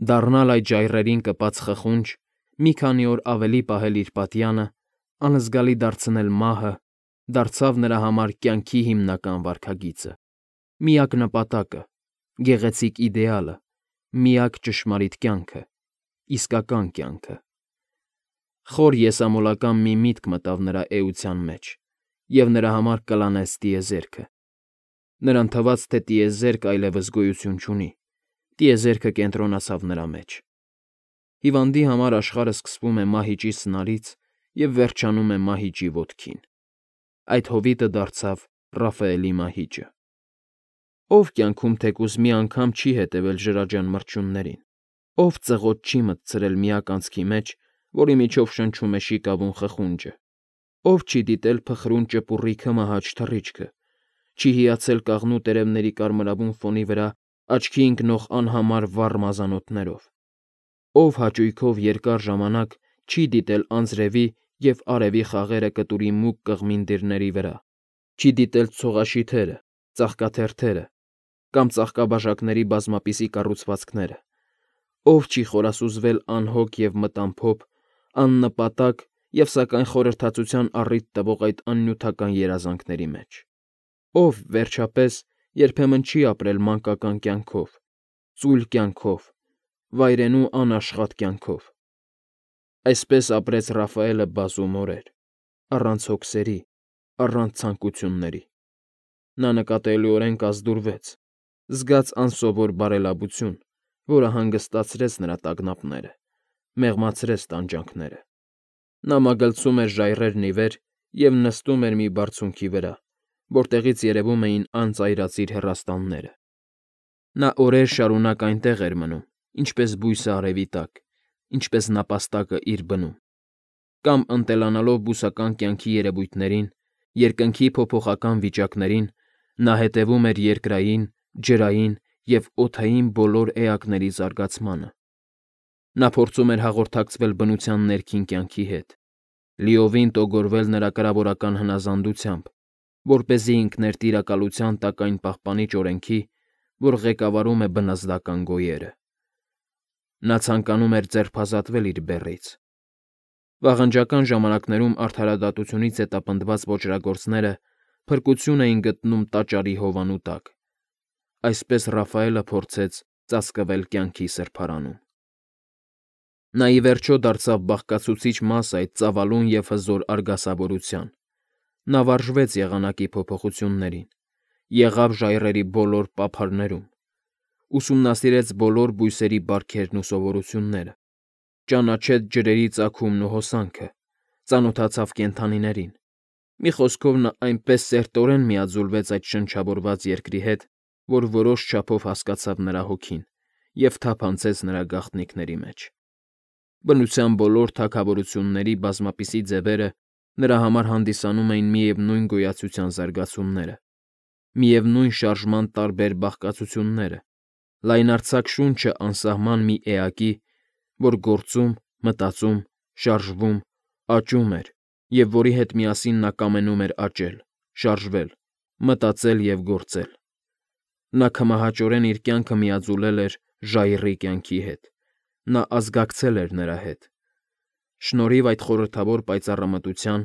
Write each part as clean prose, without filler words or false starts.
Դառնալ այդ ժայռերին կպած խխունջ, մի քանի օր ավելի պահել իր պատյանը, անզգալի դարձնել մահը, դարձավ նրա համար կյանքի հիմնական վարքագիծը, միակ նպատակը, գեղեցիկ իդեալը, միակ ճշմարիտ կյանքը, իսկական կյանքը։ Խոր եսամոլական մի միտք մտավ նրա էության մեջ, և նրա համար կլանեց տիեզերքը։ Նրան թվաց, թե տիեզերքը այլևս գոյություն չունի, տիեզերքը կենտրոնացավ նրա մեջ։ Հիվանդի համար աշխարհը սկսվում է մահիճի սնարից և վերջանում է մահիճի ոտքին։ Այդ հովիտը դարձավ Ռաֆայելի մահիճը։ Ով կյանքում թեկուզ մի անգամ չի հետևել ջրաջան մրջյուններին, ով ծղոտ չի մտցրել միակ անցքի մեջ, որի միջով շնչում է շիկավուն խխունջը, ով չի դիտել փխրուն ճպուռի քմահաճ թռիչքը, չի հիացել կաղնու տերևների կարմրավուն ֆոնի վրա աչքի ընկնող անհամար վառ մազանոթներով, ով հաճույքով երկար ժամանակ չի դիտել անձրևի և արևի խաղերը կտուրի մուգ կղմինդիրների վրա, չի դիտել ցողաշիթերը, ծաղկաթերթերը կամ ծաղկաբաժակների բազմապիսի կառուցվածքները, ով չի խորասուզվել անհոգ և մտամփոփ, աննպատակ և սակայն խորհրդածության առիթ տվող այդ աննյութական երազանքների մեջ, ով, վերջապես, երբեմն չի ապրել մանկական կյանքով, ծույլ կյանքով, վայրենու անաշխատ կյանքով։ Այսպես ապրեց Ռաֆայելը բազում օրեր, առանց հոգսերի, առանց ցանկությունների։ Նա նկատելիորեն կազդուրվեց, զգաց անսովոր բարելավություն, որը հանգստացրեց նրա տագնապները, մեղմացրեց տանջանքները։ Նա մագլցում էր ժայռերն ի վեր և նստում էր մի բարձունքի վրա, որտեղից երևում էին անծայրածիր հեռաստանները։ Նա օրեր շարունակ այնտեղ էր մնում, ինչպես բույսը արևի տակ, ինչպես նապաստակը իր բնում, կամ ընտելանալով բուսական կյանքի երևույթներին, երկնքի փոփոխական վիճակներին, նա հետևում էր երկրային, ջրային և օդային բոլոր էակների զարգացմանը։ Նա փորձում էր հաղորդակցվել բնության ներքին կյանքի հետ, լիովին տոգորվել նրա կրավորական հնազանդությամբ, որպեսզի ինքն էր տիրակալության տակ այն պահպանիչ օրենքի, որ ղեկավարում է բնազդական գոյերը։ Նա ցանկանում էր ձերբազատվել իր բեռից։ Վաղնջական ժամանակներում արդարադատությունից հետապնդված ոճրագործները փրկություն էին գտնում տաճարի հովանու տակ։ Այսպես Ռաֆայելը փորձեց ծածկվել կյանքի սրբարանում։ Նա ի վերջո դարձավ բաղկացուցիչ մաս այդ ծավալուն և հզոր արգասավորության։ Նա վարժվեց եղանակի փոփոխություններին, եղավ ժայռերի բոլոր պափարներում, ուսումնասիրեց բոլոր բույսերի բարքերն ու սովորությունները, ճանաչեց ջրերի ծագումն ու հոսանքը, ծանոթացավ կենդանիներին։ Մի խոսքով, նա այնպես սերտորեն միաձուլվեց այդ շնչավորված երկրի հետ, որ որոշ չափով հասկացավ նրա հոգին և թափանցեց նրա գաղտնիքների մեջ։ Բնության բոլոր թագավորությունների բազմապիսի ձևերը նրա համար հանդիսանում էին միևնույն գոյացության զարգացումները, միևնույն շարժման տարբեր բաղկացությունները, լայնարձակ շունչը անսահման մի էակի, որ գործում, մտածում, շարժվում, աճում էր և որի հետ միասին նա կամենում էր աճել, շարժվել, մտածել և գործել։ Նա քմահաճորեն իր կյանքը միաձուլել էր ժայռի կյանքի հետ, նա ազգակցել էր նրա հետ։ Շնորհիվ այդ խորհրդավոր պայծառամտության,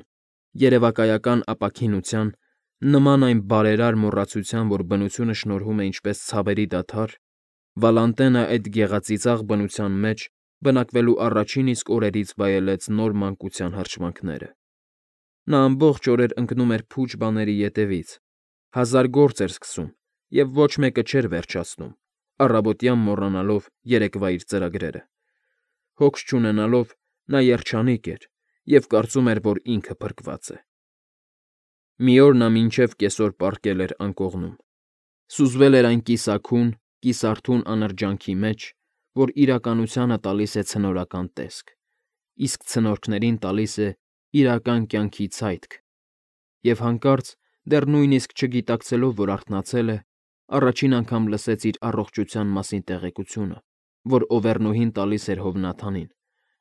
երևակայական ապաքինության, նման այն բարերար մոռացության, որ բնությունը շնորհում է ինչպես ցավերի դադար, Վալանտենը այդ գեղածիծաղ բնության մեջ բնակվելու առաջին իսկ օրերից վայելեց նոր մանկության հրճվանքները։ Նա ամբողջ օրեր ընկնում էր փուչ բաների ետևից, հազար գործ էր սկսում և ոչ մեկը չէր վերջացնում, առավոտյան մոռանալով երեկվա իր ծրագրերը։ Հոգս չունենալով նա երջանիկ էր և կարծում էր, որ ինքը փրկված է։ Մի օր նա մինչև կեսօր պառկել էր անկողնում։ Սուզվել էր այն կիսաքուն, կիսարթուն անրջանքի մեջ, որ իրականությանը տալիս է ցնորական տեսք, իսկ ցնորքներին տալիս է իրական կյանքի ցայտք, և հանկարծ, դեռ նույնիսկ չգիտակցելով, որ արթնացել է, առաջին անգամ լսեց իր առողջության մասին տեղեկությունը, որ Օվեռնուհին տալիս էր Հովնաթանին,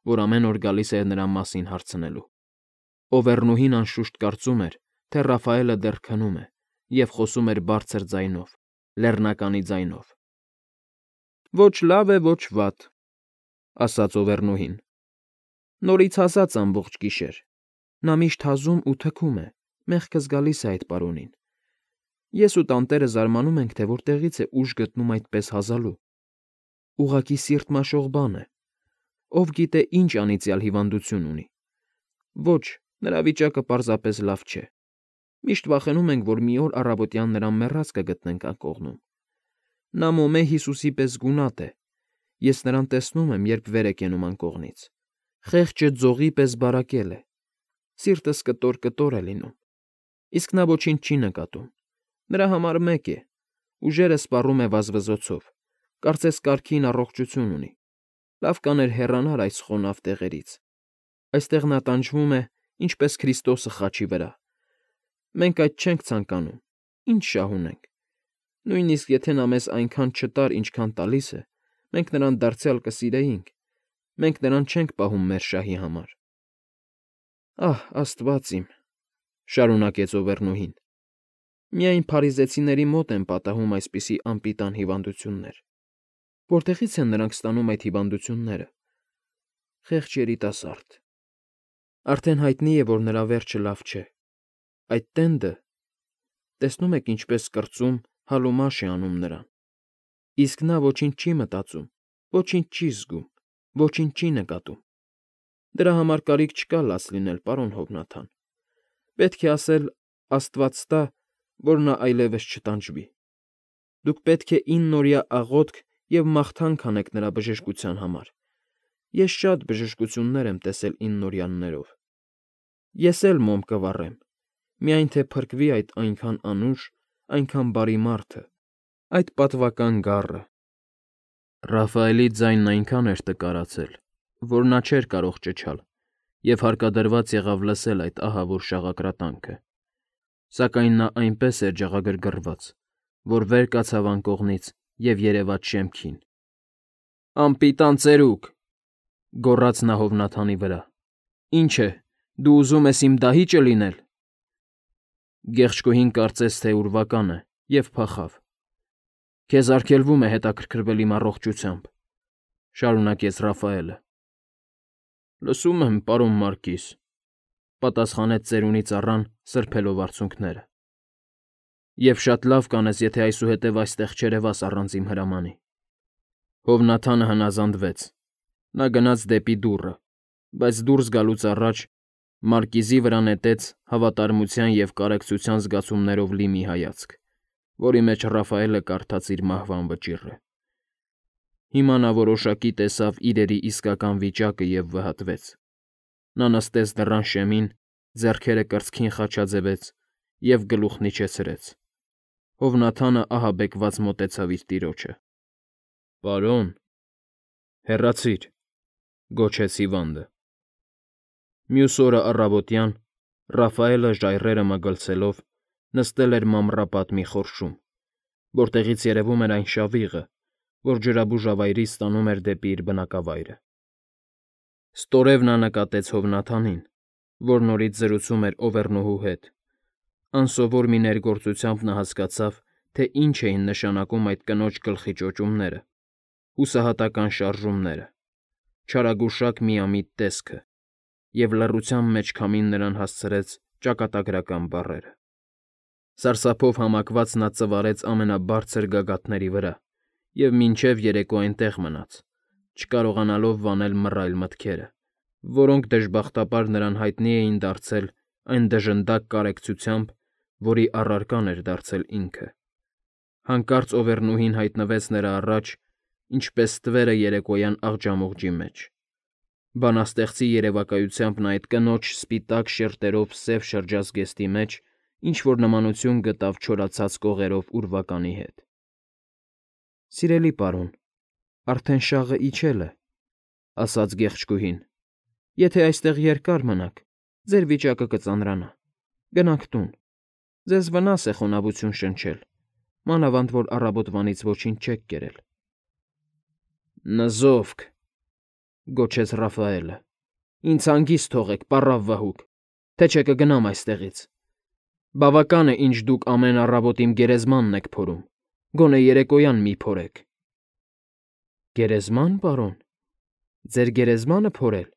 որ ամեն օր գալիս էր նրա մասին հարցնելու։ Օվեռնուհին անշուշտ կարծում էր, թե Ռաֆայելը դեռ քնում է և խոսում էր բարձր ձայնով, լեռնականի ձայնով։ Ոչ լավ է, ոչ վատ, ասաց Օվերնուհին։ Նորից հասած ամբողջ գիշեր։ Նա միշտ հազում ու թքում է, մեղքս գալիս է այդ պարոնին։ Ես ու տանտերը զարմանում ենք, թե որտեղից է ուժ գտնում այդպես հազալու։ Ուղղակի սիրտ մաշող բան է։ Ով գիտե ինչ անիծյալ հիվանդություն ունի։ Ոչ, նրա վիճակը պարզապես լավ չէ։ Միշտ վախենում ենք, որ մի օր առավոտյան նրան մեռած կգտնենք անկողնում։ Նա մոմե Հիսուսի պես գունատ է։ Ես նրան տեսնում եմ, երբ վեր է կենում անկողնից։ Խեղճը ձողի պես բարակել է։ Սիրտս կտոր է լինում։ Իսկ նա ոչինչ չի նկատում։ Նրա համար մեկ է։ Ուժերը սպառում է վազվզոցով։ Կարծես կարգին առողջություն ունի։ Լավ կաներ հեռանար այս խոնավ տեղերից։ Այստեղ նա տանջվում է, ինչպես Քրիստոսը խաչի վրա։ Մենք այդ չենք ցանկանում։ Ինչ շահ ունենք։ Նույնիսկ եթե նա մեզ այնքան չտար, ինչքան տալիս է, մենք նրան դարձյալ կսիրեինք։ Մենք նրան չենք պահում մեր շահի համար։ Ահ, Աստված իմ, շարունակեց Օվերնուհին։ Միայն փարիզեցիների մոտ են պատահում այսպիսի անպիտան հիվանդություններ։ Որտեղից են նրանք ստանում այդ հիվանդությունները։ Խեղճ երիտասարդ։ Արդեն հայտնի է, որ նրա վերջը լավ չէ։ Այդ տենդը, տեսնում եք ինչպես կրծում, հալումաշ է անում նրան։ Իսկ նա ոչինչ չի մտածում, ոչինչ չի զգում, ոչինչ չի նկատում։ Դրա համար կարիք չկա լաց լինել, պարոն Հովնաթան։ Պետք է ասել, Աստված տա, որ նա այլևս չտանջվի։ Դուք պետք է 9 օրյա աղոթք և մաղթանք անեք նրա բժշկության համար։ Ես շատ բժշկություններ եմ տեսել 9 օրյաներով։ Ես էլ մոմ կվառեմ, միայն թե փրկվի այդ այնքան անուշ, այնքան բարի մարդը, այդ պատվական գառը։ Ռաֆայելի ձայնն այնքան էր տկարացել, որ նա չէր կարող ճչալ, և հարկադրված եղավ լսել այդ ահավոր շաղակրատանքը։ Սակայն նա այնպես էր ջաղագրգռված, որ վեր կացավ անկողնից և երևաց շեմքին։ «Անպիտան ծերուկ,» գոռաց նա Հովնաթանի վրա։ «Ինչ է, դու ուզում ես իմ դահիճը լինել»։ Գեղչկուհին կարծես թե ուրվական է և փախավ։ «Քեզ արգելվում է հետաքրքրվել իմ առողջությամբ,֊ շարունակեց Ռաֆայելը։ Լսում եմ, պարոն Մարկիզ,֊ պատասխանեց ծերունի ծառան, սրբելով արցունքները։ Եվ շատ լավ կանես, եթե այսուհետև այստեղ չերևաս առանց իմ հրամանի։ Հովնաթանը հնազանդվեց։ Նա գնաց դեպի դուռը, բայց դուրս գալուց առաջ Մարկիզի վրա նետեց հավատարմության և կարեկցության զգացումներով լի մի հայացք, որի մեջ Ռաֆայելը կարդաց իր մահվան վճիռը։ Հիմա նա որոշակի տեսավ իրերի իսկական վիճակը և վհատվեց։ Նա նստեց դռան շեմին, ձեռքերը կրծքին խաչաձևեց և գլուխն իջեցրեց։ Հովնաթանը ահաբեկված մոտեցավ իր տիրոջը։ Պարոն, հեռացիր,֊ գոչեց հիվանդը։ Մյուս օրը առավոտյան Ռաֆայելը ժայռերը մագլցելով նստել էր մամռապատ մի խորշում, որտեղից երևում էր այն շավիղը, որ ջրաբուժավայրից տանում էր դեպի իր բնակավայրը։ Ստորև նա նկատեց Հովնաթանին, որ նորից զրուցում էր Օվերնուհու հետ։ Անսովոր մի ներգործությամբ նա հասկացավ, թե ինչ էին նշանակում այդ կնոջ գլխի ճոճումները, հուսահատական շարժումները, չարագուշակ միամիտ տեսքը, և լռության մեջ քամին նրան հասցրեց ճակատագրական բառերը։ Սարսափով համակված նա ծվարեց ամենաբարձր գագաթների վրա և մինչև երեկո այնտեղ մնաց, չկարողանալով վանել մռայլ մտքերը, որոնք դժբախտաբար նրան հայտնի էին դարձել այն դժնդակ կարեկցությամբ, որի առարկան էր դարձել ինքը։ Հանկարծ Օվերնուհին հայտնվեց նրա առաջ, ինչպես ստվերը երեկոյան աղջամուղջի մեջ։ Բանաստեղծի երևակայությամբ նա այդ կնոջ սպիտակ շերտերով սև շրջազգեստի մեջ ինչ-որ նմանություն գտավ չորացած կողերով ուրվականի հետ։ Սիրելի պարոն, արդեն շաղը իջել է,֊ ասաց գեղեցկուհին։ Եթե այստեղ երկար մնաք, ձեր վիճակը կծանրանա։ Գնանք տուն։ Ձեզ վնաս է խոնավություն շնչել, մանավանդ որ առավոտվանից ոչինչ չեք կերել։ Նզովք,֊ գոչեց Ռաֆայելը։ Ինձ հանգիստ թողեք, պառավ վհուկ, թե չէ կգնամ այստեղից։ Բավական է, ինչ դուք ամեն առավոտ իմ գերեզմանն եք փորում, գոնե երեկոյան մի փորեք։ Գերեզման, պարոն։ Ձեր գերեզմանը փորել։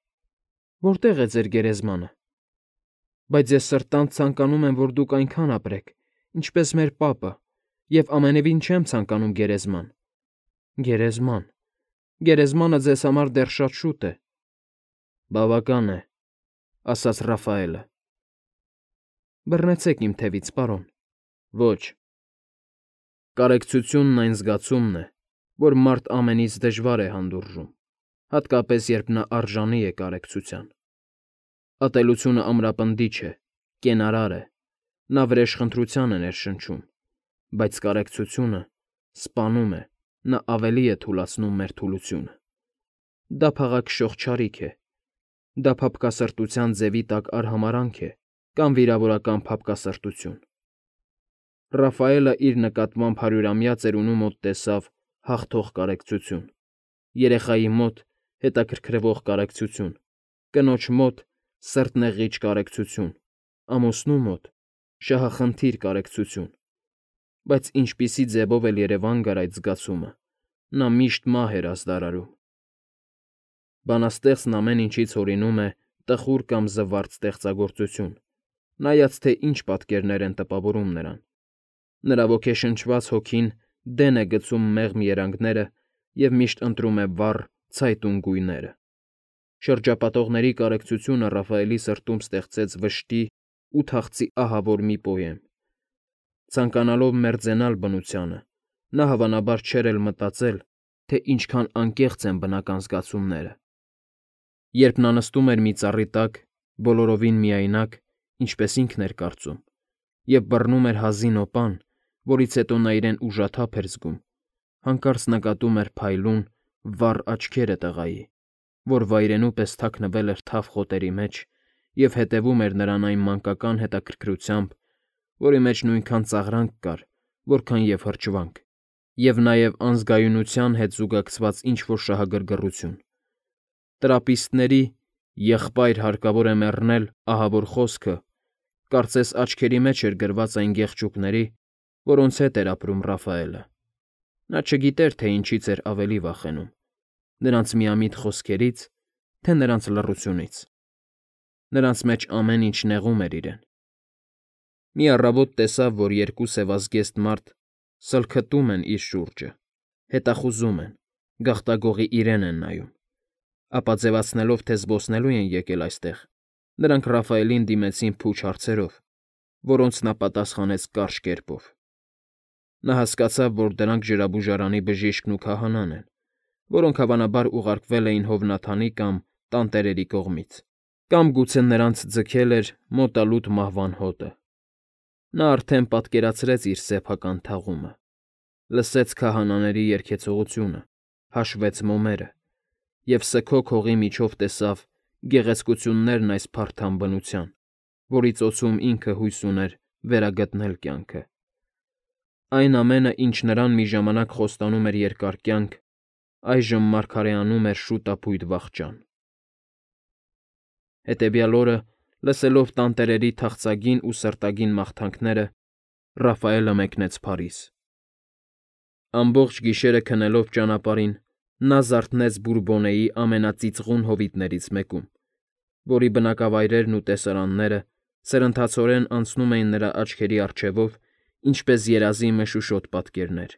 Որտե՞ղ է ձեր գերեզմանը։ Բայց ես սրտանց ցանկանում եմ, որ դուք այնքան ապրեք, ինչպես մեր պապը, և ամենևին չեմ ցանկանում գերեզման։ Գերեզման։ Գերեզմանը ձեզ համար դեռ շատ շուտ է։ Բավական է, ասաց Ռաֆայելը։ Բռնեցեք իմ թևից, պարոն։ Ոչ։ Կարեկցությունն այն զգացումն է, որ մարդ ամենից դժվար է հանդուրժում, հատկապես երբ նա արժանի է կարեկցության։ Ատելությունը ամրապնդիչ է, կենարար է, նա վրեժխնդրության է ներշնչում, բայց կարեկցությունը սպանում է, նա ավելի է թուլացնում մեր թուլությունը։ Դա փաղաքշող չարիք է, դա փափկասրտության ձևի տակ արհամարհանք է կամ վիրավորական փափկասրտություն։ Ռաֆայելը իր նկատմամբ 100-ամյա ծերունու մոտ տեսավ հաղթող կարեկցություն, երեխայի մոտ հետաքրքրվող կարեկցություն, կնոջ մոտ սրտնեղիչ կարեկցություն, ամուսնու մոտ շահախնդիր կարեկցություն, բայց ինչպիսի ձևով էլ երևան գար այդ զգացումը, նա միշտ մահ էր ազդարարում։ Բանաստեղծն ամեն ինչից հորինում է տխուր կամ զվարթ ստեղծագործություն, նայած թե ինչ պատկերներ են տպավորում նրան։ Նրա ոգեշնչված հոգին դեն է գցում մեղմ երանգները և միշտ ընտրում է վառ, ցայտուն գույները։ Շրջապատողների կարեկցությունը Ռաֆայելի սրտում ստեղծեց վշտի ու թախծի ահավոր մի պոեմ։ Ցանկանալով մերձենալ բնությանը, նա հավանաբար չէր էլ մտածել, թե ինչքան անկեղծ են բնական զգացումները։ Երբ նա նստում էր մի ծառի տակ, բոլորովին միայնակ, ինչպես ինքն էր կարծում, և բռնում էր հազին օպան, որից հետո նա իրեն ուժաթափ էր զգում, հանկարծ նկատում էր փայլուն, վառ աչքերը տղայի, որ վայրենու պես թաքնվել էր թավ խոտերի մեջ և հետևում էր նրան այն մանկական հետաքրքրությամբ, որի մեջ նույնքան ծաղրանք կար, որքան և հրճվանք, և նաև անզգայունության հետ զուգակցված ինչ֊որ շահագրգռություն։ Տրապիստների «եղբայր հարկավոր է մեռնել» ահավոր խոսքը կարծես աչքերի մեջ էր գրված այն գեղեցիկների, որոնց հետ էր ապրում Ռաֆայելը։ Նա չգիտեր, թե ինչից էր ավելի վախենում՝ նրանց միամիտ խոսքերից, թե նրանց լռությունից։ Նրանց մեջ ամեն ինչ նեղում էր իրեն։ Մի առավոտ տեսավ, որ երկու սևազգեստ մարդ սլքտում են իր շուրջը, հետախուզում են, գաղտագողի իրեն են նայում։ Ապա ձևացնելով, թե զբոսնելու են եկել այստեղ, նրանք Ռաֆայելին դիմեցին փուչ հարցերով, որոնց նա պատասխանեց կարճ կերպով։ Նա հասկացավ, որ դրանք ջրաբուժարանի բժիշկն ու քահանան են, որոնք հավանաբար ուղարկվել էին Հովնաթանի կամ տանտերերի կողմից, կամ գուցե նրանց ձգել էր մոտալուտ մահվան հոտը։ Նա արդեն պատկերացրեց իր սեփական թաղումը, լսեց քահանաների երգեցողությունը, հաշվեց մոմերը և սգոք հողի միջով տեսավ գեղեցկություններն այս փարթամ բնության, որի ծոցում ինքը հույս ուներ վերագտնել կյանքը։ Այն ամենը, ինչ նրան մի ժամանակ խոստանում էր երկար կյանք, այժմ մարգարեանում էր շուտափույթ վախճան։ Հետևյալ օրը, լսելով տանտերերի թախծագին ու սրտագին մաղթանքները, Ռաֆայելը մեկնեց Փարիզ։ Ամբողջ գիշերը քնելով ճանապարհին, նա զարթնեց Բուրբոնեի ամենածիծղուն հովիտներից մեկում, որի բնակավայրերն ու տեսարանները սրընթացորեն անցնում էին նրա աչքերի առջևով, ինչպես երազի մշուշոտ պատկերներ։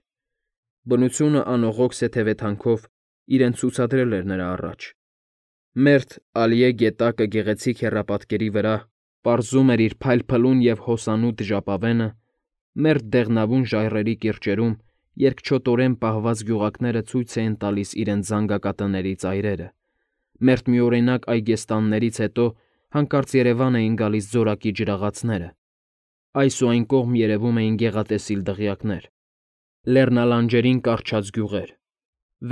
Բնությունը անողոք սեթևեթանքով իրեն ցուցադրել էր նրա առաջ։ Մերթ Ալիե գետակը գեղեցիկ հեռապատկերի վրա պարզում էր իր փայլփլուն և հոսանոտ ժապավենը, մերթ դեղնավուն ժայռերի կիրճերում երկչոտորեն պահված գյուղակները ցույց էին տալիս իրենց զանգակատների ծայրերը, մերթ միօրինակ այգեստաններից հետո հանկարծ երևան էին գալիս ձորակի ջրաղացները, այս ու այն կողմ երևում էին գեղատեսիլ դղյակներ, լեռնալանջերին կառչած գյուղեր,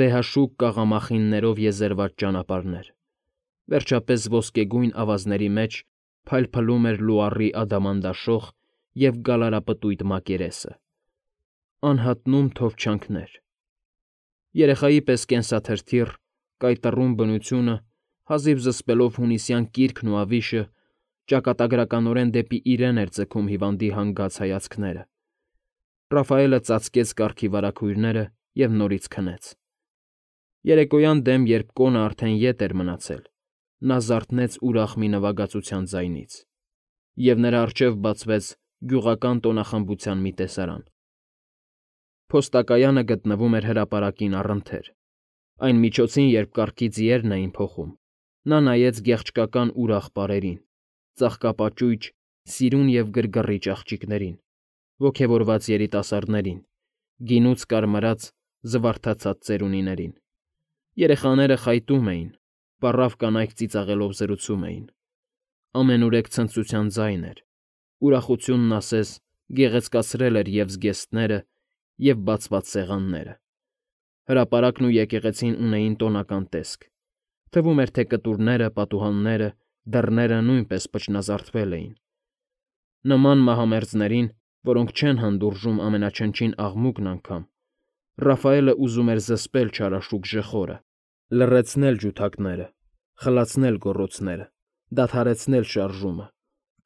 վեհաշուկ կաղամախիններով եզերված ճանապարհներ, վերջապես ոսկեգույն ավազների մեջ փայլփլում էր լուարի ադամանդաշող և գալարապտույտ մակերեսը, անհատնում թովչանքներ։ Երեխայի պես կենսաթրթիռ, կայտառում բնությունը, հազիվ զսպելով հունիսյան կիրքն ու ավիշը, ճակատագրականորեն դեպի իրեն էր ձգում հիվանդի հանգած հայացքները։ Ռաֆայելը ծածկեց կառքի վարագույրները և նորից քնեց։ Երեկոյան դեմ, երբ կոնը արդեն ետ էր մնացել, նա զարթնեց ուրախ մի նվագածության ձայնից, և նրա առջև բացվեց գյուղական տոնախմբության մի տեսարան։ Փոստակայանը գտնվում էր հրապարակին առընթեր։ Այն միջոցին, երբ կառքի ձիերն էին փոխում, նա նայեց գեղչկական ուրախ պարերին, ծաղկապաճույճ, սիրուն և գրգռիչ աղջիկներին, ոգևորված երիտասարդներին, գինուց կարմրած, զվարթացած ծերունիներին։ Երեխաները խայտում էին, պառավ կանայք ծիծաղելով զրուցում էին։ Ամենուրեք ցնծության ձայն էր, ուրախությունն ասես գեղեցկացրել էր և զգեստները, և բացված սեղանները։ Հրապարակն ու եկեղեցին ունեին տոնական տեսք։ Թվում էր, թե կտուրները, պատուհանները, դռները նույնպես փչնազարդվել էին։ Նման մահամերձներին, որոնք չեն հանդուրժում ամենաչնչին աղմուկն անգամ, Ռաֆայելը ուզում էր զսպել չարաշուք ժխորը, լռեցնել ջութակները, խլացնել գոռոցները, դադարեցնել շարժումը,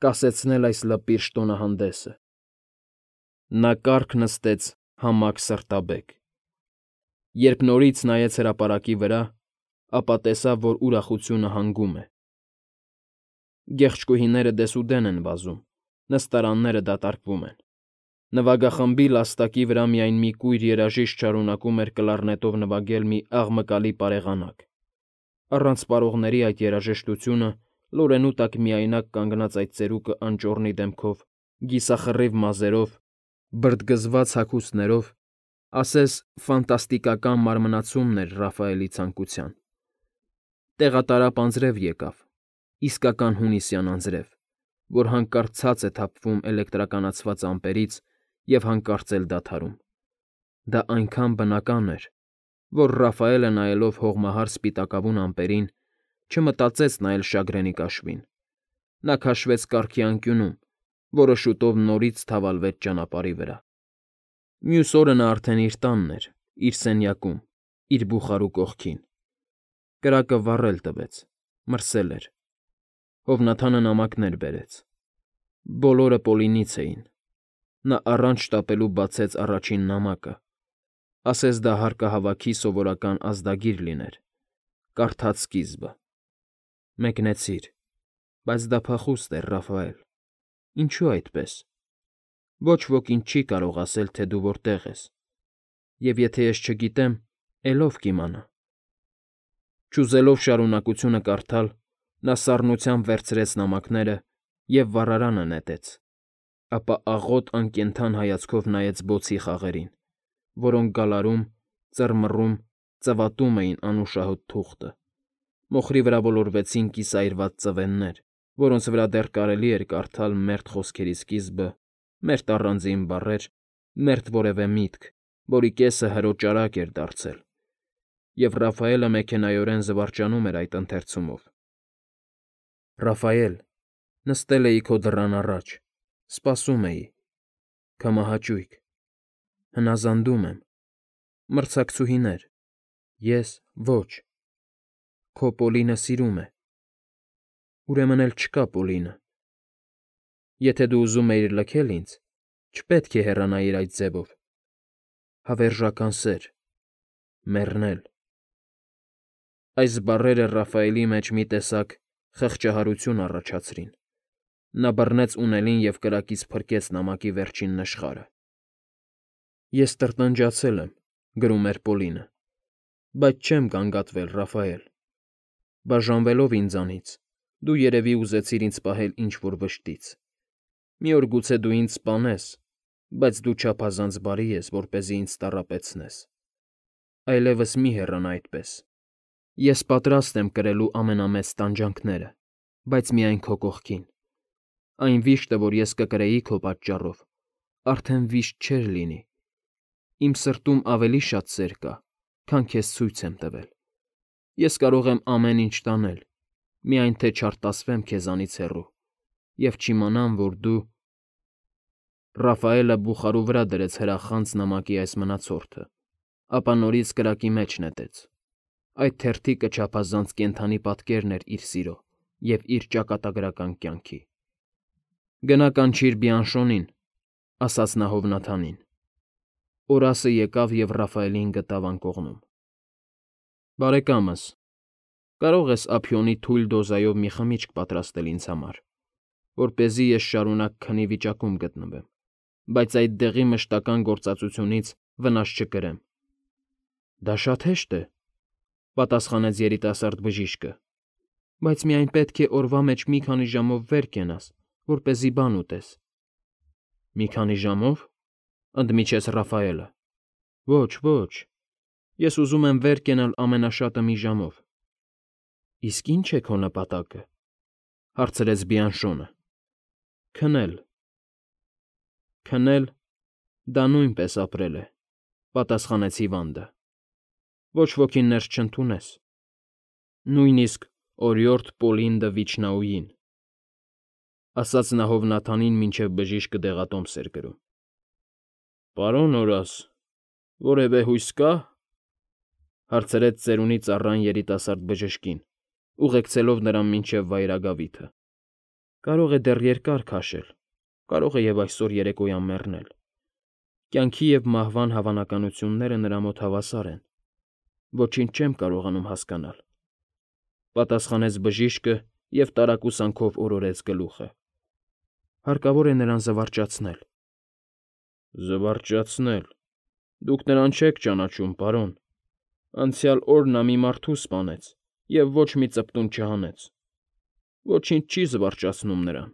կասեցնել այս լպիրշ տոնահանդեսը։ Նա կառք նստեց համակ սրտաբեկ։ Երբ նորից նայեց հրապարակի վրա, ապա տեսավ, որ ուրախությունը հանգում է։ Գեղչկուհիները դեսուդեն են վազում, նստարանները դատարկվում են։ Նվագախմբի լաստակի վրա միայն մի կույր երաժիշտ շարունակում էր կլարնետով նվագել մի աղմկալի պարեղանակ։ Առանց պարողների այդ երաժշտությունը, լորենու տակ միայնակ կանգնած այդ ծերուկը անճոռնի դեմքով, կիսախռիվ մազերով, բրդգզված հագուստներով, ասես ֆանտաստիկական մարմնացումն էր Ռաֆայելի ցանկության։ Տեղատարափ անձրև եկավ, իսկական հունիսյան անձրև, որ հանկարծ ցած է թափվում էլեկտրականացված ամպերից և հանկարծ էլ դադարում։ Դա այնքան բնական էր, որ Ռաֆայելը, նայելով հողմահար սպիտակավուն ամպերին, չմտածեց նայել շագրենի կաշվին։ Նա քաշվեց կառքի անկյունում, որը շուտով նորից թավալվեց ճանապարհի վրա։ Մյուս օրը նա արդեն իր տանն էր, իր սենյակում, իր բուխարու կողքին։ Կրակը վառել տվեց, մրսել էր։ Հովնաթանը նամակներ բերեց։ Բոլորը Պոլինից էին։ Նա առանց շտապելու բացեց առաջին նամակը, ասես դա հարկահավաքի սովորական ազդագիր լիներ, կարդաց սկիզբը. «Մեկնեցիր, բայց դա փախուստ էր, Ռաֆայել։ Ինչու այդպես։ Ոչ ոք ինձ չի կարող ասել, թե դու որտեղ ես, և եթե ես չգիտեմ, էլ ով կիմանա»։ Չուզելով շարունակությունը կարդալ, նա սառնությամբ վերցրեց նամակները և վառարանը նետեց, ապա աղոտ անկենդան հայացքով նայեց բոցի խաղերին, որոնք գալարում, ծռմռում, ծվատում էին անուշահոտ թուղթը։ Մոխրի վրա ոլորվեցին կիսայրված ծվեններ, որոնց վրա դեռ կարելի էր կարդալ մերթ խոսքերի սկիզբը, մերթ առանձին բառեր, մերթ որևէ միտք, որի կեսը հրոճարակ էր դարձել, և Ռաֆայելը մեքենայորեն զվարճանում էր այդ ընթերցումով։ «Ռաֆայել, նստել էի քո դռան առաջ, սպասում էի, քամահաճույք, հնազանդում եմ, մրցակցուհիներ, ես՝ ոչ, քո Պոլինը սիրում է, ուրեմն էլ չկա Պոլինը։ Եթե դու ուզում էիր լքել ինձ, չպետք է հեռանայիր այդ ձևով։ Հավերժական սեր, մեռնել»։ Այս բառերը Ռաֆայելի մեջ մի տեսակ խղճահարություն առաջացրին։ Նա բռնեց ունելին և կրակից փրկեց նամակի վերջին նշխարը։ «Ես տրտնջացել եմ», գրում էր Պոլինը, «բայց չեմ գանգատվել, Ռաֆայել։ Բաժանվելով ինձանից՝ դու երևի ուզեցիր ինձ պահել ինչ֊որ վշտից։ Մի օր գուցե դու ինձ սպանես, բայց դու չափազանց բարի ես, որպեսզի ինձ տառապեցնես։ Այլևս մի հեռանա այդպես։ Ես պատրաստ եմ կրելու ամենամեծ տանջանքները, բայց միայն քո կողքին։ Այն վիշտը, որ ես կկրեի քո պատճառով, արդեն վիշտ չէր լինի։ Իմ սրտում ավելի շատ սեր կա, քան քեզ ցույց եմ տվել։ Ես կարող եմ ամեն ինչ տանել, միայն թե չարտասվեմ քեզանից հեռու և չիմանամ, որ դու… Ռաֆայելը բուխարու վրա դրեց հրախանց նամակի այս մնացորդը, ապա նորից կրակի մեջ նետեց։ Այդ թերթիկը չափազանց կենդանի պատկերն էր իր սիրո և իր ճակատագրական կյանքի։ «Գնա կանչիր Բիանշոնին», ասաց նա Հովնաթանին։ Օրասը եկավ և Ռաֆայելին գտավ անկողնում։ Բարեկամս, կարող ես ափիոնի թույլ դոզայով մի խմիչք պատրաստել ինձ համար, որպեսզի ես շարունակ քնի վիճակում գտնվեմ, բայց այդ դեղի մշտական գործածությունից վնաս չկրեմ։ Դա շատ հեշտ է, պատասխանեց երիտասարդ բժիշկը, բայց միայն պետք է օրվա մեջ մի քանի ժամով վեր կենաս, որպեսզի բան ուտես։ Մի քանի ժամով, ընդմիջեց Ռաֆայելը։ Ոչ, ոչ, ես ուզում եմ վեր կենալ ամենաշատը մի ժամով։ Իսկ ի՞նչ է քո նպատակը, հարցրեց Բիանշոնը։ Քնել։ Քնել, դա նույնպես ապրել է, պատասխանեց Հիվանդը։ Ոչ ոքին ներս չընդունես։ Նույնիսկ օրիորդ Պոլին դը Վիչնաուին, ասաց նա Հովնաթանին, մինչև բժիշկը դեղատոմս էր կրում։ Պարոն Օրաս, որևէ հույս կա՞, հարցրեց ծերունի ծառան երիտասարդ բժշկին, ուղեկցելով նրան մինչև վայրագավիթը։ Կարող է դեռ երկար քաշել, կարող է և այսօր երեկոյան մեռնել։ Կյանքի և մահվան հավանականությունները նրա մոտ հավասար են։ Ոչինչ չեմ կարողանում հասկանալ, պատասխանեց բժիշկը և տարակուսանքով օրորեց գլուխը։ Հարկավոր է նրան զվարճացնել։ Զվարճացնել։ Դուք նրան չեք ճանաչում, պարոն։ Անցյալ օր նա մի մարդու սպանեց և ոչ մի ծպտուն չհանեց։ Ոչինչ չի զվարճացնում նրան։